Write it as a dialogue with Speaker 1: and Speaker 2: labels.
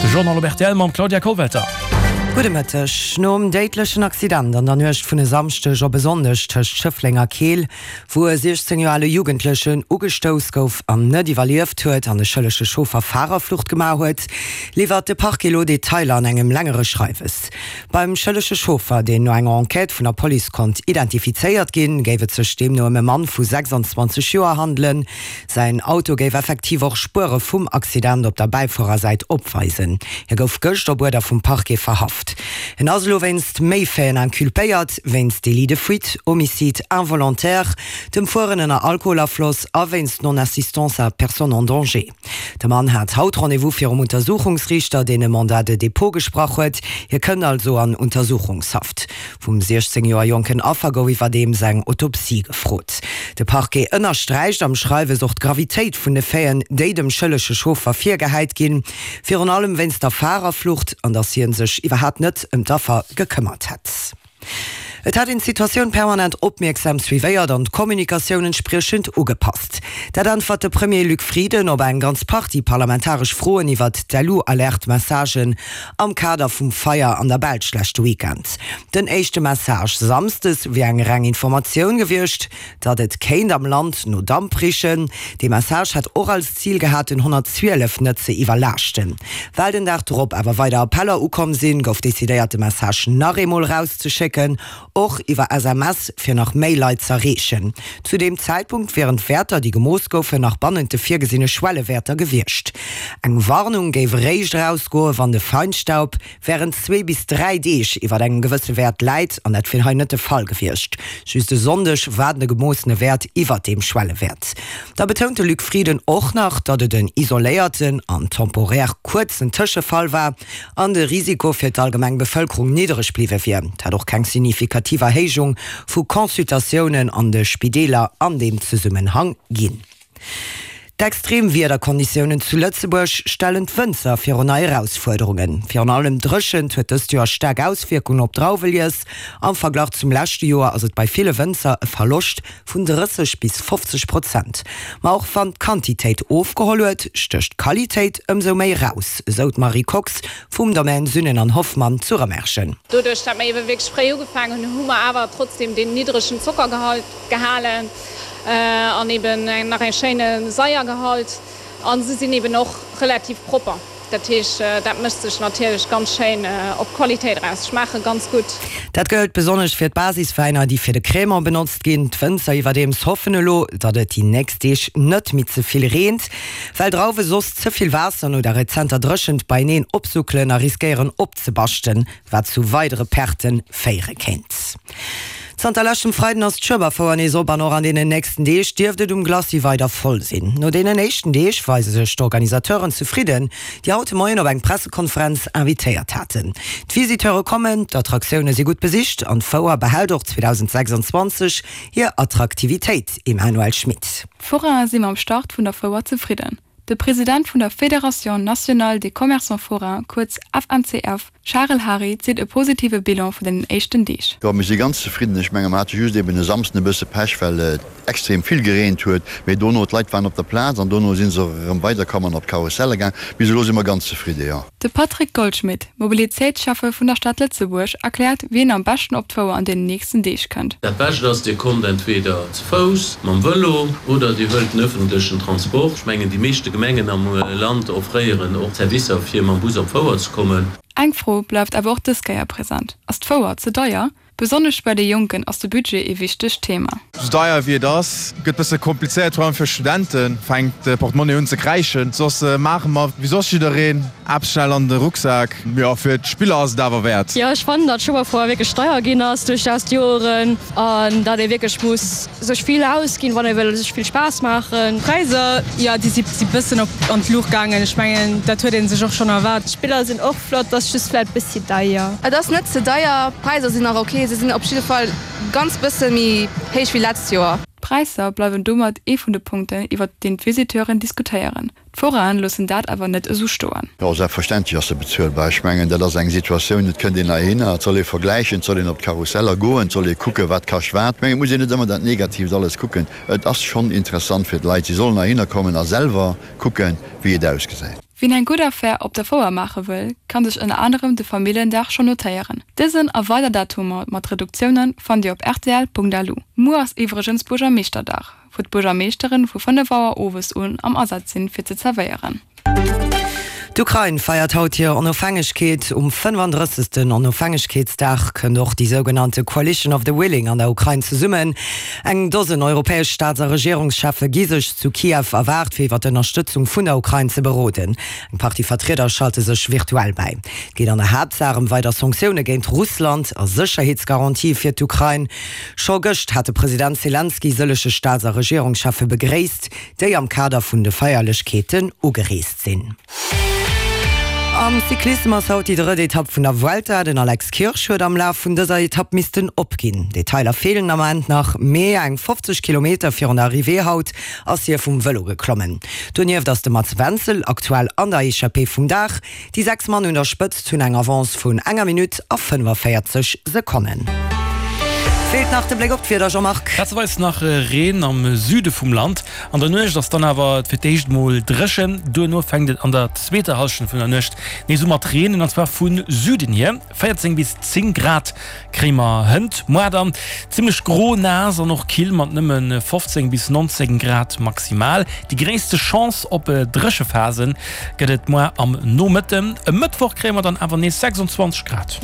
Speaker 1: De Journal op rtl mam Claudia Kollwelter.
Speaker 2: Gudde Mëtteg. Nom déidlechen Accident an der Nuecht vun e Samschdeg op e Sonndeg tëscht Schëffleng a Keel, wou e 16 Joer ale Jugendlechen ugestouss gouf an net iwwerlieft huet an de schëllege Chauffer Farerflucht gemaach huet, liwwert de Parquet elo Detailer an engem längere Schreiwes. Beim schëllege Chauffer, deen no enger Enquête vun der Police konnt identifizéiert ginn, géif et sech deemno ëm e Mann vu 26 Joer handelen. Säin Auto géif effektiv och Spuere vum Accident op der Bäifuerersäit opweisen. Hie gouf gëscht op Uerder vum Parquet verhaft. En ass elo wéinst méi Faiten inculpéiert, wéinst Délit de fuite, Homicide involontaire, dem Fueren ënner Alkoholafloss a wéinst Non-assistance à personne en danger. De Mann hat haut Rendez-vous virum Untersuchungsriichter, deen e Mandat de dépôt gesprach huet. Hie kënnt also an Untersuchungshaft. Vum 16 Joer jonken Affer gouf iwwerdeems eng Autopsie gefrot. De Parquet ënnersträicht am Schreiwes och d'Gravitéit vun de Faiten, déi dem schëllege Chauffer virgehäit ginn, virun allem wéinst der Farerflucht an datt hie sech iwwerhaapt net ëm d'Affer gekëmmert hätt. Et hätt een d'Situatioun permanent opmierksam suivéiert an d'Kommunikatioun entspriechend ugepasst. Dat äntwert de Premier Luc Frieden op eng ganz Partie parlamentaresch Froen iwwert d'LU-Alerte-Messagen am Kader vum Feier an der Belsch leschte Weekend. Den éischte Message samsdes wier eng reng Informatioun gewiescht, datt et kéint am Land no Damp richen. Dee Message hätt och als Zil gehat, den 112 net ze iwwerlaaschten. Well den Dag drop awer weider Appeller ukomm sinn, gouf decidéiert, de Message nach eemol erauszeschécken, och iwwer SMS, fir nach méi Leit z'erreechen. Zu deem Zäitpunkt wieren d'Wäerter, déi gemooss goufen, nach bannent de virgesinne Schwellewäerter gewiescht. Eng Warnung géif eréischt erausgoen, wann de Feinstaub wärend zwee bis 3 Deeg iwwer engem gewësse Wäert läit, an dat wier hei net de Fall gewiescht. Just e Sonndeg war de gemoossene Wäert iwwer deem Schwellewäert. Da betount de Luc Frieden och nach, datt et en isoléierten an temporär kuerzen Tëschefall war an de Risiko fir d'allgemeng Bevëlkerung niddereg bliwwe wier. Et hätt och keng signifikativ Erhéijung vu Consultatiounen an de Spideeler an deem Zesummenhang ginn. D'extrem Wiederkonditiounen zu Lëtzebuerg stellen d'Wënzer virun nei Erausfuerderungen. Virun allem d'Dréchent huet dëst Joer staark Auswierkungen op d'Drauwelies. Am Verglach zum leschte Joer ass et bei ville Wënzer e Verloscht vun 30 bis 50 Prozent. Ma och wann d'Quantitéit ofgeholl huet, stécht d'Qualitéit ëmsou méi eraus, esou d'Marie Kox vum Domaine Sünnen an Hoffmann zu Rëmerschen.
Speaker 3: Doduerch dat mer eebe wierklech fréi ugefaangen hunn, hu mer awer trotzdem deen niddregen Zockergehalt gehalen an eben nach e schéine Saiergehalt a se sinn eben och relativ propper. Dat heescht, dat mécht sech natierlech ganz schéin op d'Qualitéit eraus, schmaache ganz gutt.
Speaker 2: Dat gëllt besonnesch fir d'Basiswäiner, déi fir de Crémant benotzt ginn. D'Wënzer iwwerdeems hoffen elo, datt et déi nächst Deeg net méi ze vill reent, well Drauwe soss ze vill Waasser no der rezenter Dréchent beieneen opsuckelen a riskéieren opzebaschten, wat zu weidere Perte féiere kéint. Zanter leschtem Freiden ass d'Schueberfouer nees op an och an deenen nächsten Deeg dierft et um Glacis weider voll sinn. No deenen éischten Deeg weise sech d'Organisateuren zefridden, déi haut de Moien op eng Pressekonferenz invitéiert haten. D'Visiteure kommen, d'Attraktioune si gutt besicht an d'Fouer behält och 2026 hir Attraktivitéit, Emmanuelle Schmit.
Speaker 4: D'Forainen si mam Start vun der Fouer zefridden. De President vun der Fédération nationale des commerçants forains, kuerz FNCF, Charel Hary, zitt e positive Bilan vun den éischten Deeg.
Speaker 5: Jo, mir si ganz zefridden. Ech menge mer hate just eben e Samsden e bësse Pech, well et extrem vill gereent huet. Mee dono, d'Leit waren op der Plaz an dono si se och erëm weiderkomm an op d'Karusselle gaang. Bis elo si mer ganz zefridde, jo.
Speaker 4: De Patrick Goldschmidt, Mobilitéitsschäffe vun der Stad Lëtzebuerg, erkläert, wien am beschten op d'Fouer an deenen nächsten Deeg kënnt.
Speaker 6: Dat Bescht ass, Dir kommt entweder ze Fouss, mam Vëlo oder Dir huelt den ëffentlechen Transport. Ech mengen, déi meeschte Gemengen am Land offréieren och Servicer, fir mam Bus op d'Fouer ze kommen.
Speaker 4: Eng Fro bleift awer och dës Kéier present, Ass d'Fouer ze deier? Besonnesch bei de Jonken ass de Budget ee wichtegt Thema.
Speaker 7: Sou deier wéi et ass, gëtt bësse komplizéiert, vor allem fir Studenten, fänkt de Portemonnaie un ze kräischen. Soss maache mer wéi soss jiddereen, eppes schnell an de Rucksak. Jo, fir d'Spiller ass et awer wäert.
Speaker 8: Jo, ech fannen, datt Schueberfouer wierklech deier ginn ass duerchaus d'Joren an datt ee wierklech muss sech vill ausginn, wann ee wëll sech vill Spaass maachen.
Speaker 9: D'Präisser, jo, déi si bëssen op an d'Luucht gaangen. Ech mengen, dat huet ee sech och schonn erwaart.
Speaker 10: D'Spiller sinn och Flott, ass just vläit bessi deier.
Speaker 11: Et ass net ze deier, d'Präiser sinn nach ok, se sinn op jidde Fall ganz bësse méi héich wéi letzt Joer.
Speaker 4: D'Präisser bleiwen domat ee vun de Punkten, iwwer deen d'Visiteuren diskutéieren. D'Forainen loossen dat awer net esou stoen.
Speaker 5: Jo, selbstverständlech ass se bezuelbar. Ech mengen, dat ass eng Situatioun, et kënnt een heihinner, et soll ee vergläichen, et soll een op d'Karusseller goen, et soll ee kucken, wat kascht wat. Ech mengen, et muss een net ëmmer dat Negatiivt alles kucken. Et ass schonn interessant fir d'Leit, si sollen heihinner kommen a selwer kucken, wéi et ausgesäit.
Speaker 4: Wien eng gutt Affär op der Fouer maache wëll, kann sech ënner anerem de Familljendag schonn notéieren. Dësen a weider Datumer mat Reduktioune fannt Dir op rtl.lu. Muer ass iwwregens Buergermeeschterdag, wou d'Buergermeeschteren vu 5 Auer owes un am Asaz sinn, fir ze zerwéieren.
Speaker 2: D'Ukrain feiert haut hir Onofhängegkeet. Um 35. Onofhängegkeetsdag kënnt och déi sougenannte Coalition of the Willing an der Ukrain zesummen. Eng Dosen europäesch Staats a Regierungscheffe gi sech zu Kiew erwaart, fir iwwer d'Ënnerstëtzung vun der Ukrain ze beroden. Eng Partie Vertrieder schalte sech virtuell bäi. Et geet an der Haaptsaach ëm weider Sanktioune géint Russland a Sécherheetsgarantië fir d'Ukrain. Scho gëscht hat de President Selenskyj sëllege Staats a Regierungscheffe begréisst, déi am Kader vun de Feierlechkeeten ugereest sinn. Am Cyclissem ass haut déi drëtt Etapp vun der Vuelta. Den Alex Kirsch huet am Laf vun dëser Etapp missten opginn. Detailer feelen am Ament nach, mee eng 50 Kilometer virun der Arrivée haut ass hie vum Vëlo geklommen. Donieft ass de Mats Wenzel aktuell an der Echappée vum Dag. Déi 6 Mann un der Spëtzt hunn eng Avance vun enger Minutt a 45 Sekonnen. Feelt nach de Bléck op d'Wieder, Jean-Marc.
Speaker 1: Plazeweis nach Reen am Süde vum Land. An der Nuecht ass dann awer fir d'éischt mol dréchen, duerno fänkt et an der zweeter Hallschent vun der Nuecht nees u mat reenen, an zwar vu Süden hier. 14 bis 10 Grad kréie mer hënt, moar dann zimmlech gro, naass an och kill mat nëmme 15 bis 19 Grad maximal. Déi gréisste Chance op Dréchephase gëtt et moar am Nomëtten. E Mëttwoch kréie mer dann awer nees 26 Grad.